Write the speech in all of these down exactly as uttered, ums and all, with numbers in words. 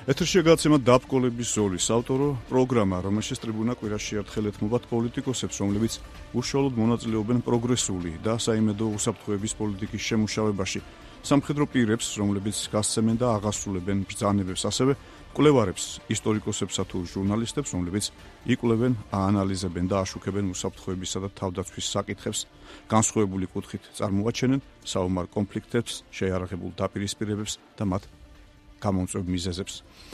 ეთერში გაცემა დაბკოლების ზოლის ავტორო პროგრამა, რომელშიც ტრიბუნა კვირაში ერთხელ ეთმობათ პოლიტიკოსებს, რომლებიც უშუალოდ მონაწილეობენ პროგრესული და საიმედო უსაფრთხოების პოლიტიკის შემუშავებაში, სამხედრო პირებს, რომლებიც გასცემენ და აღასრულებენ ბრძანებებს, ასევე კვლევარებს, ისტორიკოსებსა თუ ჟურნალისტებს, რომლებიც იკვლევენ, აანალიზებენ და აშუქებენ უსაფრთხოებისა და თავდაცვის საკითხებს, განსხვავებული კუთხით წარმოაჩენენ საომარ კონფლიქტებს, შეიარაღებულ დაპირისპირებებს და მათ გამომწვევ მიზეზებს.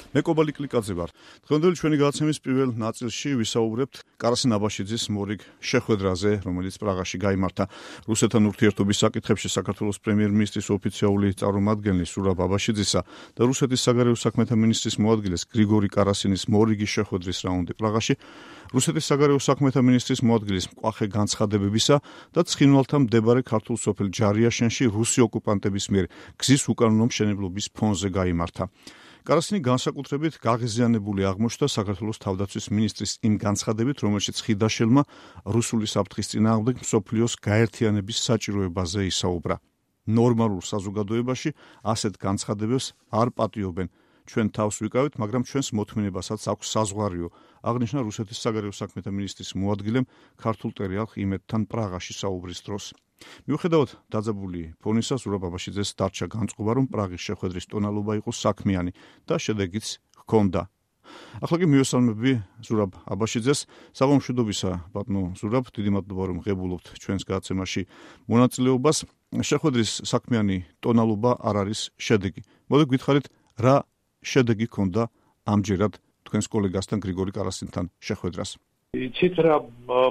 მე კობალი კლიკაძე ვარ. დღევანდელი ჩვენი გადაცემის პირველ ნაწილში ვისაუბრებთ კარასინ აბაშიძის მორიგ შეხვედრაზე, რომელიც პრაღაში გაიმართა. რუსეთთან ურთიერთობის საკითხებში საქართველოს პრემიერ-მინისტრის ოფიციალური წარმომადგენლის ზურაბ აბაშიძისა და რუსეთის საგარეო საქმეთა მინისტრის მოადგილეს გრიგორი კარასინის მორიგი შეხვედრის რაუნდი პრაღაში, რუსეთის საგარეო საქმეთა მინისტრის მოადგილის მკვახე განცხადებებისა და ცხინვალთან მდებარე ქართულ სოფელ ჯარიაშენში რუსი ოკუპანტების მიერ გზის უკანონო მშენებლობის ფონზე გაიმართა. კარასინი განსაკუთრებით გაღიზიანებული აღმოჩნდა საქართველოს თავდაცვის მინისტრის იმ განცხადებით, რომელშიც ხიდაშელმა რუსული საფრთხის წინააღმდეგ მსოფლიოს გაერთიანების საჭიროებაზე ისაუბრა. ნორმალურ საზოგადოებაში ასეთ განცხადებებს არ პატიობენ. ჩვენ თავს ვიკავით, მაგრამ ჩვენს მოთმინებასაც აქვს საზღვარიო, აღნიშნა რუსეთის საგარეო საქმეთა მინისტრის მოადგილემ ქართულ ტერიალხ იმედთან პრაღაში საუბრის დროს. მიუხედავად დაძაბული ფონისა, ზურაბ აბაშიძეს დარჩა განწყობა, რომ პრაღის შეხვედრის ტონალობა იყო საქმიანი და შედეგიც ჰქონდა. ახლა კი მივესალმები ზურაბ აბაშიძეს. საღამომშვიდობისა, ბატონო ზურაბ, დიდი მადლობა, რომ ღებულობთ ჩვენს გადაცემაში მონაწილეობას. შეხვედრის საქმიანი ტონალობა არ არის შედეგი. მოდი გითხარით, რა შედეგი ჰქონდა ამჯერად თქვენს კოლეგასთან გრიგორი კარასინთან შეხვედრას? იცით რა,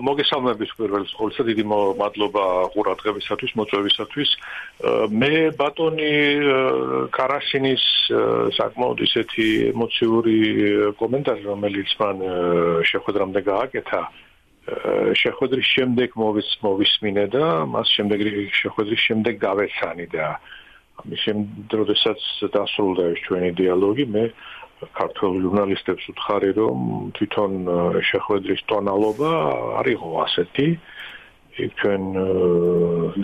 მოგესალმებით პირველ ყოვლისა, დიდი მადლობა ყურადღებისათვის, მოწვევისათვის. მე ბატონი კარასინის საკმაოდ ისეთი ემოციური კომენტარი, რომელიც მან შეხვედრამდე გააკეთა, შეხვედრის შემდეგ მოვისმინე და მას შემდეგ შეხვედრის შემდეგ გავეცანი და ამის შემდეგ, როდესაც დასრულდა ეს ჩვენი დიალოგი, მე ქართველ ჟურნალისტებს ვუთხარი, რომ თვითონ შეხვედრის ტონალობა არ იყო ასეთი. იქ ჩვენ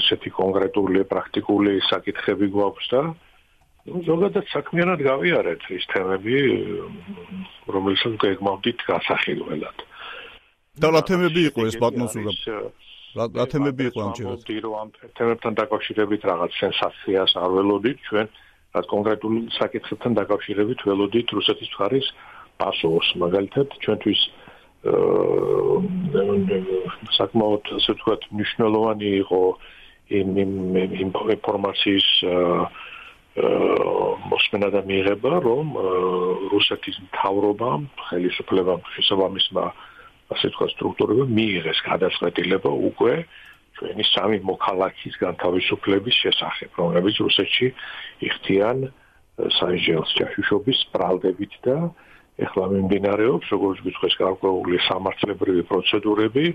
ისეთი კონკრეტული, პრაქტიკული საკითხები გვაქვს და ზოგადად საქმიანად გავიარეთ ის თემები, რომელსაც გეგმავდით გასახილველად. და რა თემები იყო ეს, ბატონო ზურაბ? რა თემები იყო ამჯერად? ამ თემებთან დაკავშირებით რაღაც სენსაციას არ ველოდით ჩვენ. რაც კონკრეტულ საკითხებთან დაკავშირებით ველოდით რუსეთის მხარის პასუხს. მაგალითად, ჩვენთვის საკმაოდ ასე ვთქვათ მნიშვნელოვანი იყო იმ ინფორმაციის მოსმენა და მიღება, რომ რუსეთის მთავრობამ, ხელისუფლებამ, შესაბამისმა ასე ვთქვათ სტრუქტურებამ მიიღეს გადაწყვეტილება უკვე ჩვენი სამი მოქალაქის განთავისუფლების შესახებ, რომლებიც რუსეთში იხდიან საიჯელს ჯაშუშობის ბრალდებით და ეხლა მიმდინარეობს, როგორც გითხეს, გარკვეული სამართლებრივი პროცედურები,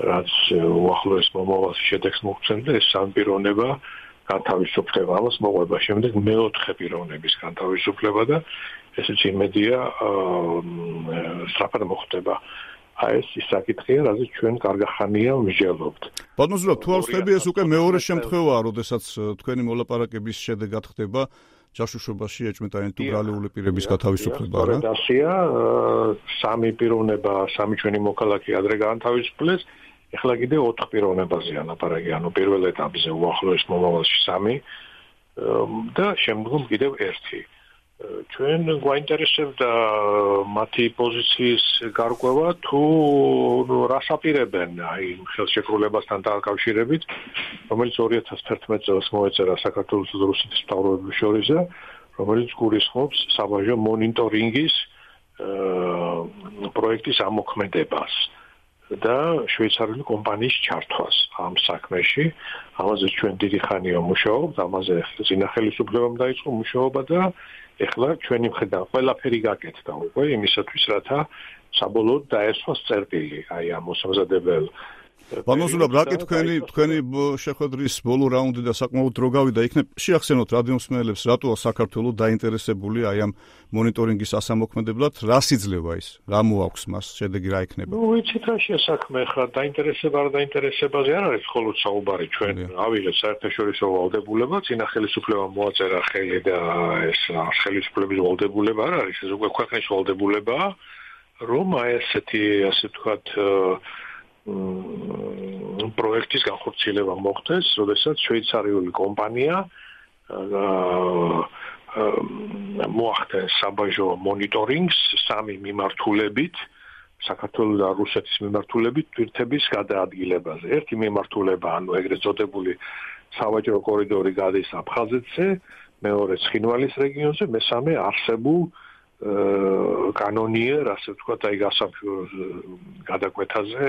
რაც უახლოეს მომავალში შედეგს მოგვცემს და ეს სამი პიროვნება განთავისუფლება, ამას მოყვება შემდეგ მეოთხე პიროვნების განთავისუფლება და ესეც იმედია სწრაფად მოხდება. აი ეს ის საკითხია, რაზეც ჩვენ კარგახანია ვმსჯელობთ. ბატონო ზურაბ, თუ არ ვხდები, ეს უკვე მეორე შემთხვევაა, როდესაც თქვენი მოლაპარაკების შედეგად ხდება ჯაშუშობაში ეჭვმეტანილი თუ ბრალეული პირების გათავისუფლება, რა? დასია, სამი პიროვნება, სამი ჩვენი მოქალაქე ადრე გაანთავისუფლეს, ეხლა კიდე ოთხ პიროვნებაზეა ლაპარაკი, ანუ პირველ ეტაპზე უახლოეს მომავალში სამი და შემდგომ კიდევ ერთი. ჩვენ გვაინტერესებდა მათი პოზიციის გარკვევა, თუ რას აპირებენ აი ხელშეკრულებასთან დაკავშირებით, რომელიც ორი ათას თერთმეტ წელს მოეწერა საქართველოს და რუსეთის მთავრობების შორის, რომელიც გულისხმობს საბაჟო მონიტორინგის პროექტის ამოქმედებას და შვეიცარიული კომპანიის ჩართვას ამ საქმეში. ამაზე ჩვენ დიდი ხანია მუშაობთ, ამაზე წინა ხელისუფლებამ დაიწყო მუშაობა და ეხლა ჩვენი მხრიდან ყველაფერი გაკეთდა უკვე იმისათვის, რათა საბოლოოდ დაესვას წერტილი აი ამ მოსამზადებელ ბანოზულა ბრაკი თქვენი თქვენი შეხვედრის ბოლო რაუნდი და საკმაოდ დრო გავიდა იქნებ შეახსენოთ რადიომსმენელებს რატოა საქართველოს დაინტერესებული აი ამ მონიტორინგის ასამოქმედებლად რას იძლევა ის რა მოაქვს მას შედეგი რა იქნება ნუ ვიცით რა შეასაქმე ხა დაინტერესება არ დაინტერესებაზე არ არის მხოლოდ საუბარი ჩვენ ავიღეთ საერთაშორისო ვალდებულება წინა ხელისუფლებამ მოაწერა ხელი და ეს ხელისუფლების ვალდებულება არ არის ეს უკვე ქვეყნის ვალდებულებაა რომ აი ესეთი ასე ვთქვათ პროექტის განხორციელება მოხდეს, როდესაც შვეიცარიული კომპანია მოახდენს საბაჟო მონიტორინგს სამი მიმართულებით, საქართველოს და რუსეთის მიმართულებით თვირთების გადაადგილებაზე. ერთი მიმართულება, ანუ ეგრეთ წოდებული სავაჭრო კორიდორი გადის აფხაზეთზე, მეორე ცხინვალის რეგიონზე, მესამე არსებულ კანონიერ, ასე ვთქვათ, აი გასამშვიდ გადაკვეთაზე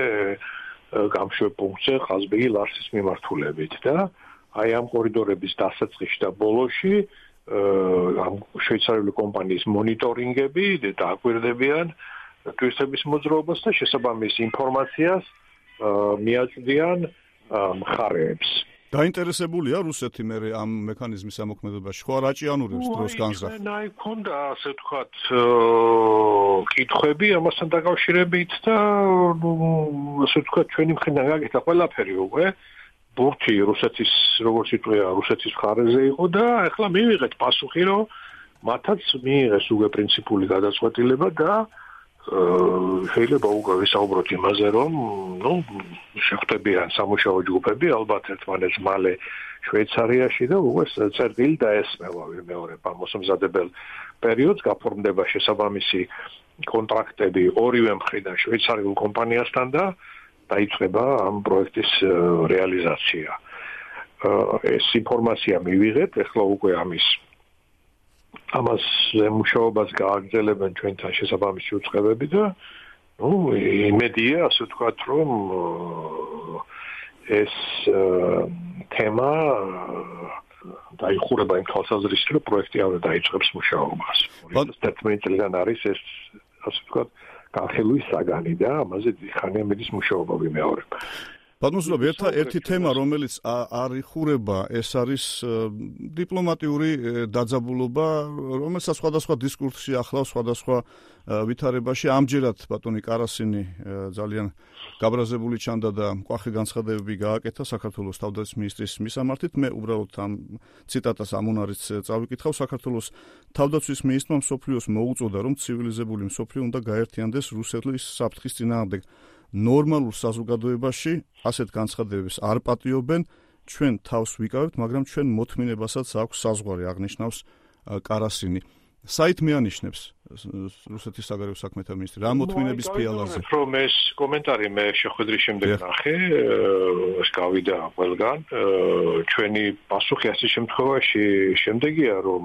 გამშვიდ პუნქტზე ყაზბეგი ლარსის მიმართულებით და აი ამ კორიდორების დასაწყისში და ბოლოში ამ შვეიცარიული კომპანიის მონიტორინგები დააკვირდებიან ტურისტების მოძრაობას და შესაბამის ინფორმაციას მიაწვდიან მხარეებს. დაინტერესებულია რუსეთი მე ამ მექანიზმის ამოქმედებაში ხო არ აჭიანურებს დროს განზრახ. აი ქონდა ასე ვთქვათ კითხვები ამასთან დაკავშირებით და ასე ვთქვათ ჩვენი მხრიდან გაკეთა ყველაფერი უკვე ბურთი რუსეთის როგორც იტყვია რუსეთის მხარეზე იყო და ახლა მივიღეთ პასუხი რომ მათაც მიიღეს უკვე პრინციპული გადაწყვეტილება და შეიძლება უკვე ვისაუბროთ იმაზე, რომ ნუ შეხვდებიან სამუშაო ჯგუფები ალბათ ერთმანეთს მალე შვეიცარიაში და უკვე წერტილი დაესმევა ვიმეორებ მოსამზადებელ პერიოდს გაფორმდება შესაბამისი კონტრაქტები ორივე მხრიდან შვეიცარიულ კომპანიასთან და დაიწყება ამ პროექტის რეალიზაცია. ეს ინფორმაცია მივიღეთ, ახლა უკვე ამის ამას მუშაობას გააგრძელებენ ჩვენთან შესაბამისი უწყებები და ნუ იმედია ასე ვთქვათ რომ ეს თემა დაიხურება იმ თვალსაზრისით რომ პროექტი აღარ დაიწყებს მუშაობას. ორი ათას თერთმეტი წლიდან არის ეს ასე ვთქვათ განხილვის საგანი და ამაზე ხანია მედის მუშაობა ვიმეორებ. ბატონო, ერთა ერთი თემა, რომელიც არ იხურება, ეს არის დიპლომატიური დაძაბულობა, რომელსაც სხვადასხვა დისკურსში ახლავს სხვადასხვა ვითარებაში. ამჯერად ბატონი კარასინი ძალიან გაბრაზებული ჩანდა და მკვახე განცხადებები გააკეთა საქართველოს თავდაცვის მინისტრის მისამართით. მე უბრალოდ ამ ციტატას ამუნარიც წავიკითხავ. საქართველოს თავდაცვის მინისტრმა მსოფლიოს მოუწოდა, რომ ცივილიზებული მსოფლიო უნდა გაერთიანდეს რუსეთის საფრთხის წინააღმდეგ. ნორმალურ საზოგადოებაში ასეთ განცხადებებს არ პატიობენ, ჩვენ თავს ვიკავებთ, მაგრამ ჩვენ მოთმინებასაც აქვს საზღვარი, აღნიშნავს კარასინი. საით მეანიშნებს რუსეთის საგარეო საქმეთა მინისტრი რა მოთმინების ფიალაზე? რომ ეს კომენტარი მე შეხვედრის შემდეგ ნახე, ეს გავიდა ყველგან, ჩვენი პასუხი ასეთ შემთხვევაში შემდეგია, რომ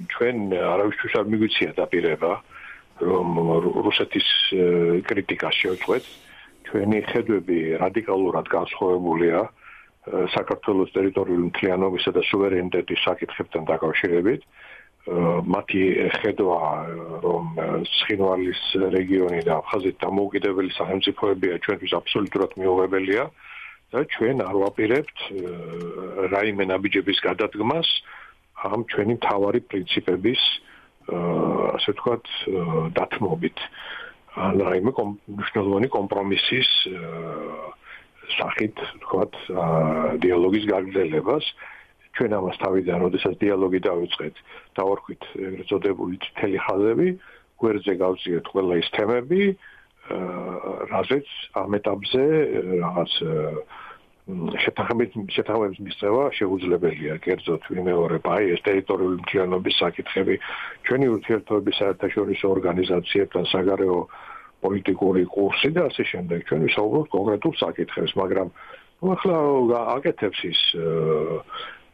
ჩვენ არავისთვის არ მიგვიცია დაპირება, რომ რუსეთის კრიტიკას შევწყვეთ. ჩვენი ხედვები რადიკალურად განსხვავებულია საქართველოს ტერიტორიული მთლიანობისა და სუვერენიტეტის საკითხებთან დაკავშირებით. მათი ხედვა, რომ ცხინვალის რეგიონი და აფხაზეთი დამოუკიდებელი სახელმწიფოებია ჩვენთვის აბსოლუტურად მიუღებელია და ჩვენ არ ვაპირებთ რაიმე ნაბიჯების გადადგმას ამ ჩვენი მთავარი პრინციპების ასე ვთქვათ დათმობით. ან რაიმე მნიშვნელოვანი კომპრომისის სახით ვთქვათ დიალოგის გაგრძელებას. ჩვენ ამას თავიდან, როდესაც დიალოგი დავიწყეთ, დავარქვით ეგრეთ წოდებული თელი ხაზები, გვერდზე გავწიეთ ყველა ის თემები, რაზეც ამ ეტაპზე რაღაც შეთანხმების მიღება შეუძლებელია. კერძოდ ვიმეორებ, აი ეს ტერიტორიული მთლიანობის საკითხები, ჩვენი ურთიერთობების საერთაშორისო ორგანიზაციებთან საგარეო პოლიტიკური კურსი და ასე შემდეგ. ჩვენ ვისაუბრობთ კონკრეტულ საკითხებს, მაგრამ ახლა აკეთებს ის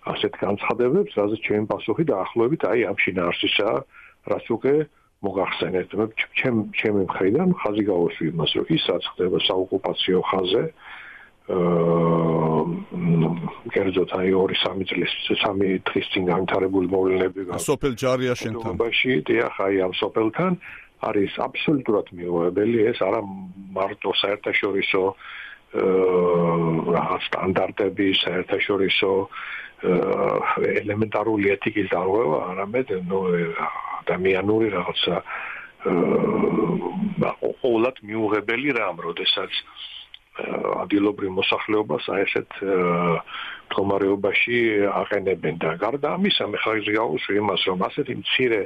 ასეთ განცხადებებს, რაზეც ჩემი პასუხი დაახლოებით აი ამ შინაარსისა, რაც უკვე მოგახსენეთ. ჩემ ჩემი მხრიდან ხაზი გავუსვი იმას, რომ ის რაც ხდება საოკუპაციო ხაზზე, კერძოდ აი ორი სამი წლის სამი დღის წინ განვითარებული მოვლენები სოფელ ჯარიაშენთან დიახ, აი ამ სოფელთან არის აბსოლუტურად მიუღებელი. ეს არა მარტო საერთაშორისო რაღაც სტანდარტები, საერთაშორისო ელემენტარული ეთიკის დარღვევა, არამედ ნუ ადამიანური რაღაცა ყოველად მიუღებელი რამ, როდესაც ადგილობრივ მოსახლეობას აი ესეთ მდგომარეობაში აყენებენ და გარდა ამისა მე ხაზი გავუსვი იმას, რომ ასეთი მცირე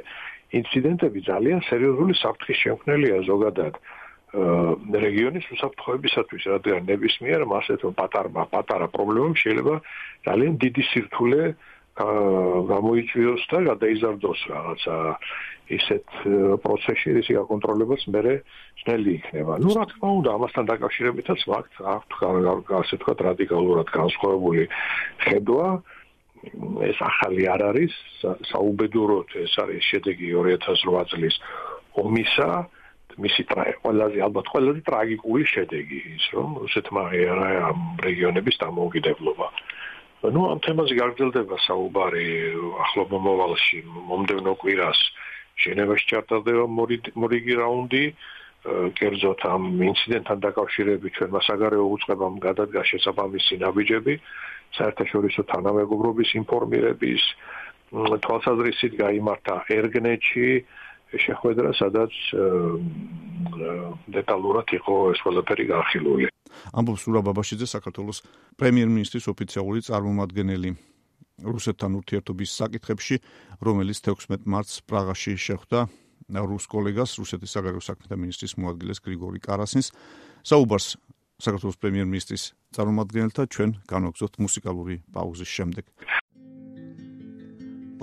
ინციდენტები ძალიან სერიოზული საფრთხის შემქმნელია ზოგადად რეგიონის უსაფრთხოებისათვის, რადგან ნებისმიერ ასეთ პატარა პატარა პრობლემამ შეიძლება ძალიან დიდი სირთულე გამოიწვიოს და გადაიზარდოს რაღაცა ისეთ პროცესში, რის გაკონტროლებაც მერე ძნელი იქნება. ნუ რა თქმა უნდა, ამასთან დაკავშირებითაც მაქვს ასე თქვა რადიკალურად განსხვავებული ხედვა. ეს ახალი არ არის, საუბედუროდ ეს არის შედეგი ორი ათას რვა წლის ომისა, მისი ყველაზე ალბათ ყველაზე ტრაგიკული შედეგი ის, რომ რუსეთმა აღიარა ამ რეგიონების დამოუკიდებლობა. ნუ ამ თემაზე გაგრძელდება საუბარი ახლო მომავალში, მომდევნო კვირას ჟენევაში ჩატარდება მორიგი რაუნდი, კერძოდ ამ ინციდენტთან დაკავშირებით ჩვენმა საგარეო უწყებამ გადადგა შესაბამისი ნაბიჯები, საერთაშორისო თანამეგობრობის ინფორმირების თვალსაზრისით გაიმართა ერგნეთში შეხვედრა, სადაც დეტალურად იყო ეს ყველაფერი განხილული. ამბობს სურა ბაბაშიძე, საქართველოს პრემიერ-მინისტრის ოფიციალური წარმომადგენელი რუსეთთან ურთიერთობის საკითხებში, რომელიც თექვსმეტ მარტს პრაღაში შეხვდა რუს კოლეგას, რუსეთის საგარეო საქმეთა მინისტრის მოადგილეს გრიგორი კარასინს. საუბარს საქართველოს პრემიერ-მინისტრის წარმომადგენელთა ჩვენ განვაგრძობთ მუსიკალური პაუზის შემდეგ.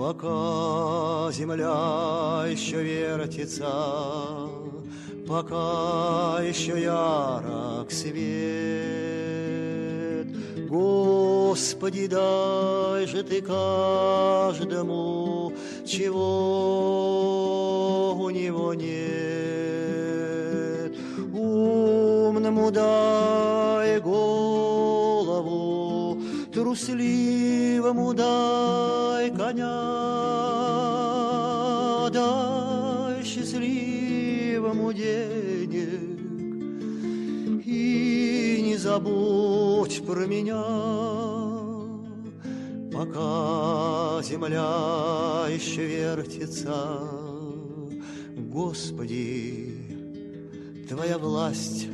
Пока земля еще вертится, пока еще ярок свет, Господи, дай же ты каждому, чего у него нет. Умному дай голову, трусливому дай коня, дай счастливому денег и не забудь про меня, пока земля еще вертится. Господи, Твоя власть,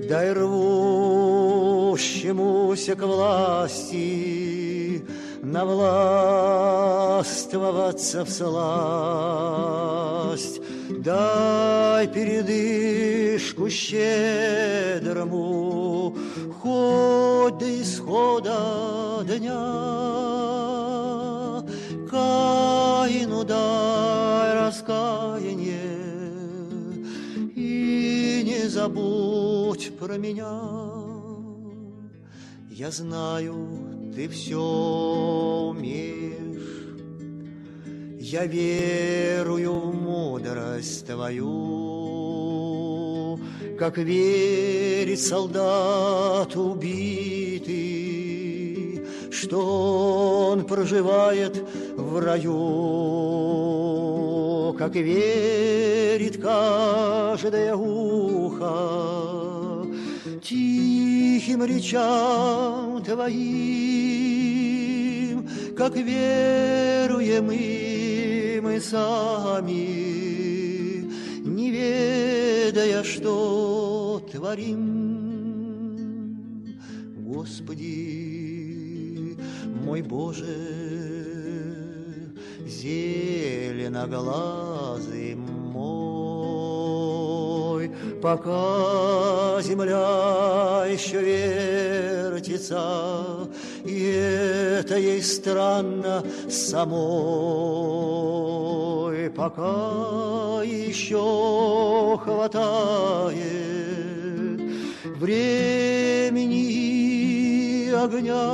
дай рвущемуся к власти навластвоваться всласть, дай передышку щедрому, хоть до исхода дня, Каину дай раскаяние и не забудь про меня. Я знаю, ты все умеешь, я верую в мудрость Твою, как верит солдат убитый, что он проживает в раю, как верит каждое ухо тихим речам Твоим, как веруем и мы сами, не ведая, что творим. Господи, мой Боже, зеленоглазый мой, пока земля еще вертится, и это ей странно самой, пока еще хватает времени и огня,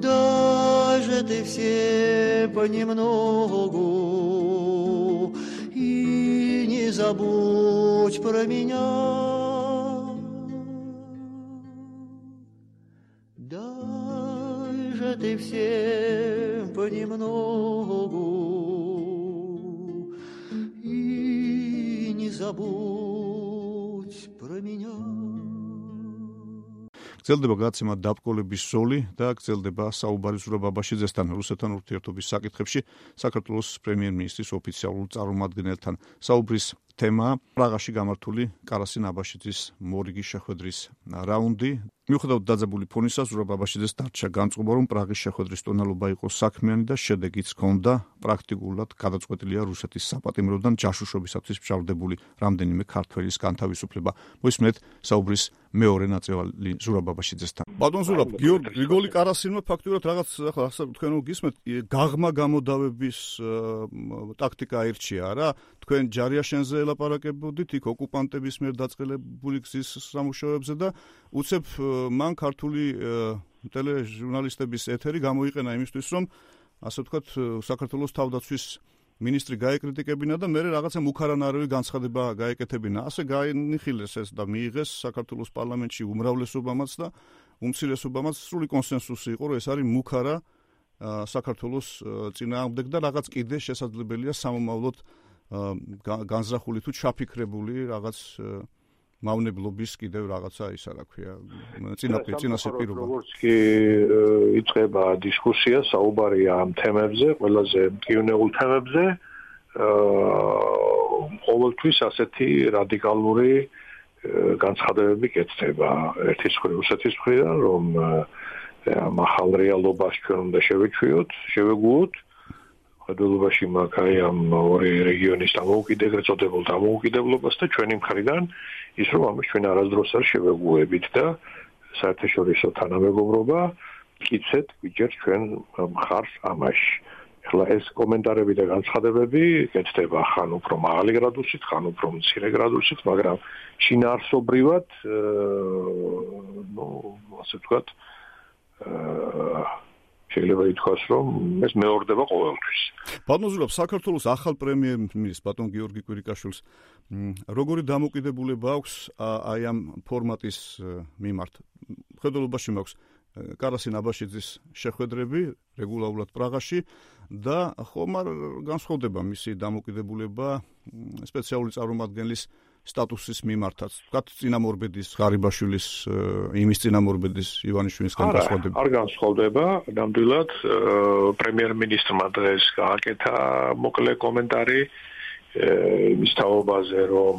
даже ты все понемногу и не забудь про меня. Дай же ты все понемногу и не забудь забудь про меня. გრძელდება გადაცემა დაბკოლების ზოლი და გრძელდება საუბარი ზურაბ აბაშიძესთან რუსეთთან ურთიერთობის საკითხებში საქართველოს პრემიერ-მინისტრის ოფიციალურ წარმომადგენელთან. საუბრის თემაა პრაღაში გამართული კარასინ აბაშიძის მორიგის შეხვედრის რაუნდი. მიუხედავად დაძაბული ფონისა, ზურაბ აბაშიძეს დარჩა განწყობა, რომ პრაღის შეხვედრის ტონალობა იყო საქმიანი და შედეგიც ჰქონდა. პრაქტიკულად გადაწყვეტილია რუსეთის საპატიმროდან ჯაშუშობისათვის მჟავდებული რამდენიმე ქართველის განთავისუფლება. მოისმენთ საუბრის მეორე ნაწილი ზურაბ აბაშიძესთან. ბატონ ზურაბ, გიორგი გრიგოლი კარასინმა ფაქტურად რაღაც ახლა თქვენ გისმენთ გაღმა გამოდავების ტაქტიკა აირჩია რა. თქვენ ჯარიაშენზე ელაპარაკებოდით იქ ოკუპანტების მიერ დაწყელებული გზის სამუშაოებზე და უცებ მან ქართული ტელეჟურნალისტების ეთერი გამოიყენა იმისთვის, რომ ასე ვთქვათ, საქართველოს თავდაცვის მინისტრი გაეკრიტიკებინა და მე რაღაცა მუქარანაირული განცხადება გაეკეთებინა. ასე გაინიხილეს ეს და მიიღეს საქართველოს პარლამენტში უმრავლესობამაც და უმცირესობამაც სრული კონსენსუსი იყო, რომ ეს არის მუქარა საქართველოს წინააღმდეგ და რაღაც კიდე შესაძლებელია სამომავლოდ განზრახული თუ ჩაფიქრებული რაღაც მავნებლობის კიდევ რაღაცა ისა რა ქვია წინასწარ როგორც კი იწყება დისკუსია, საუბარია ამ თემებზე, ყველაზე მტკივნეულ თემებზე, ყოველთვის ასეთი რადიკალური განცხადებები კეთდება ერთის მხრივ რუსეთის მხრიდან, რომ ამ ახალ რეალობას ჩვენ უნდა შევეჩვიოთ, შევეგუოთ. ხედულობაში მაგაი ამ ორი რეგიონის დამოუკიდებელ წოდებულ დამოუკიდებლობას და ჩვენი მხრიდან ის რომ ამას ჩვენ არასდროს არ შევეგუებით და საერთაშორისო თანამეგობრობა მტკიცედ გვიჭერს ჩვენ მხარს ამაში. ახლა ეს კომენტარები და განცხადებები კეთდება ხან უფრო მაღალი გრადუსით, ხან უფრო მცირე გრადუსით, მაგრამ შინაარსობრივად ნუ ასე ვთქვათ შეიძლება ითქვას, რომ ეს მეორდება ყოველთვის. ბატონ ზურაბ, საქართველოს ახალ პრემიერ-მინისტრს ბატონ გიორგი კვირიკაშვილს როგორი დამოკიდებულება აქვს აი ამ ფორმატის მიმართ? ხედულობაში მაქვს კარასინ აბაშიძის შეხვედრები რეგულარულად პრაღაში და ხომ არ განსხვავდება მისი დამოკიდებულება სპეციალური წარმომადგენლის სტატუსის მიმართაც. ვთქვათ, წინამორბედის ღარიბაშვილის იმის წინამორბედის ივანიშვილისგან განსხვავდება. არ განსხვავდება, ნამდვილად პრემიერ-მინისტრმა დღეს გააკეთა მოკლე კომენტარი იმის თაობაზე, რომ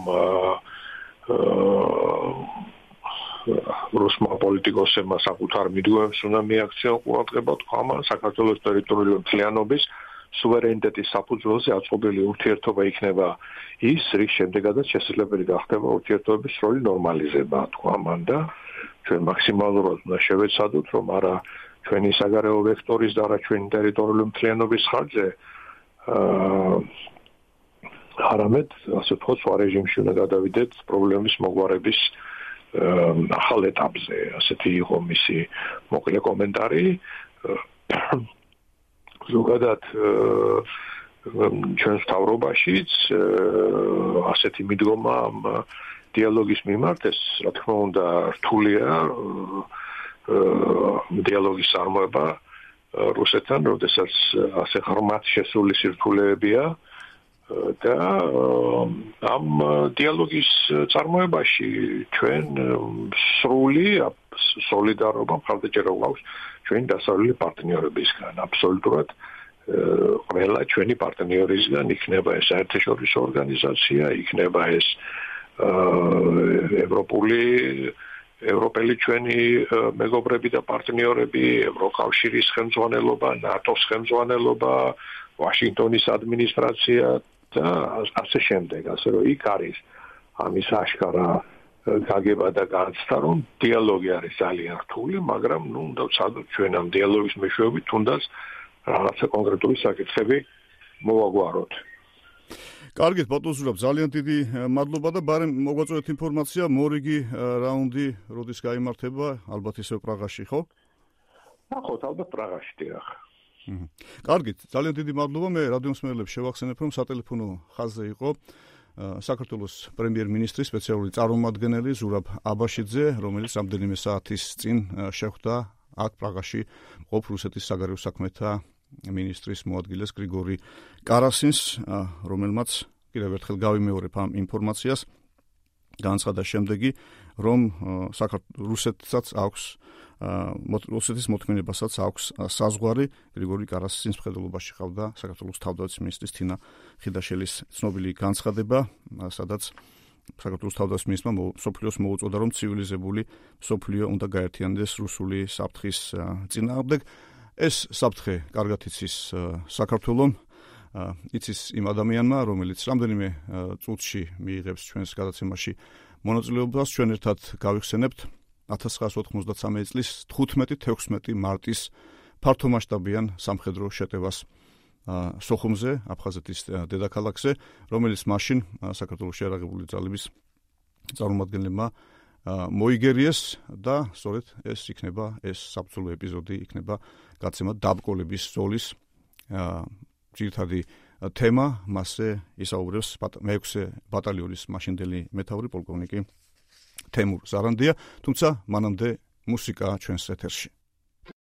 რუსმა პოლიტიკოსებმა საკუთარ მიდგომებს უნდა მიაქციონ ყურადღება თქვა საქართველოს ტერიტორიული მთლიანობის სუვერენიტეტის საფუძველზე აწყობილი ურთიერთობა იქნება ის, რის შემდეგაც შესაძლებელი გახდება ურთიერთობების სრული ნორმალიზება, თქვა მან და ჩვენ მაქსიმალურად უნდა შევეცადოთ, რომ არა ჩვენი საგარეო ვექტორის და არა ჩვენი ტერიტორიული მთლიანობის ხარჯზე არამედ, ასე ვთქვათ, სხვა რეჟიმში უნდა გადავიდეთ პრობლემის მოგვარების ახალ ეტაპზე. ასეთი იყო მისი მოკლე კომენტარი. ზოგადად ჩვენს მთავრობაშიც ასეთი მიდგომა დიალოგის მიმართ, ეს რა თქმა უნდა რთულია დიალოგის წარმოება რუსეთთან, როდესაც ასე ღრმად შესული სირთულეებია და ამ დიალოგის წარმოებაში ჩვენ სრული სოლიდარობა მხარდაჭერა გვაქვს ჩვენი დასავლელი პარტნიორებისგან. აბსოლუტურად ყველა ჩვენი პარტნიორისგან, იქნება ეს საერთაშორისო ორგანიზაცია, იქნება ეს ევროპული ევროპელი ჩვენი მეგობრები და პარტნიორები, ევროკავშირის ხელმძღვანელობა, ნატოს ხელმძღვანელობა, ვაშინგტონის ადმინისტრაცია და ასე შემდეგ, ასე რომ იქ არის ამის აშკარა გაგება და განცდა, რომ დიალოგი არის ძალიან რთული, მაგრამ ნუ უნდა ვცადოთ ჩვენ ამ დიალოგის მეშვეობით თუნდაც რაღაცა კონკრეტული საკითხები მოვაგვაროთ. კარგით, ბატონ ზურაბ, ძალიან დიდი მადლობა და ბარემ მოგვაწოდეთ ინფორმაცია, მორიგი რაუნდი როდის გაიმართება, ალბათ ისევ პრაღაში, ხო? ნახოთ, ალბათ პრაღაში დიახ. კარგით, ძალიან დიდი მადლობა. მე რადიომსმენელებს შევახსენებ, რომ სატელეფონო ხაზზე იყო საქართველოს პრემიერ-მინისტრის სპეციალური წარმომადგენელი ზურაბ აბაშიძე, რომელიც რამდენიმე საათის წინ შეხვდა აქ პრაღაში მყოფ რუსეთის საგარეო საქმეთა მინისტრის მოადგილეს გრიგორი კარასინს, რომელმაც კიდევ ერთხელ გავიმეორებ ამ ინფორმაციას, განაცხადა შემდეგი, რომ საქართველოს რუსეთსაც აქვს რუსეთის მოთხოვნებასაც აქვს საზღვარი. გრიგორი კარასის მსხვერპლობაში ხავდა საქართველოს თავდაცვის მინისტრის თინა ხიდაშელის ცნობილი განცხადება, სადაც საქართველოს თავდაცვის მინისტრმა მსოფლიოს მოუწოდა, რომ ცივილიზებული მსოფლიო უნდა გაერთიანდეს რუსული საფრთხის წინააღმდეგ. ეს საფრთხე კარგად იცის საქართველომ, იცის იმ ადამიანმა, რომელიც რამდენიმე წუთში მიიღებს ჩვენს გადაცემაში მონაწილეობას. ჩვენ ერთად გავიხსენებთ ათას ცხრაასი ოთხმოცდათსამეტი წლის თხუთმეტი-თექვსმეტი მარტის ფართომასშტაბიან სამხედრო შეტევას სოხუმზე, აფხაზეთის დედაქალაქზე, რომელიც მაშინ საქართველოს შეიარაღებული ძალების წარმომადგენლებმა მოიგერიეს და სწორედ ეს იქნება ეს საბრძოლო ეპიზოდი იქნება გაცემა დაბკოლების ზოლის ძირითადი თემა. მასზე ისაუბრებს მეექვსე ბატალიონის მაშინდელი მეთაური პოლკოვნიკი თემურ ზარანდია, თუმცა მანამდე მუსიკა ჩვენს ეთერში.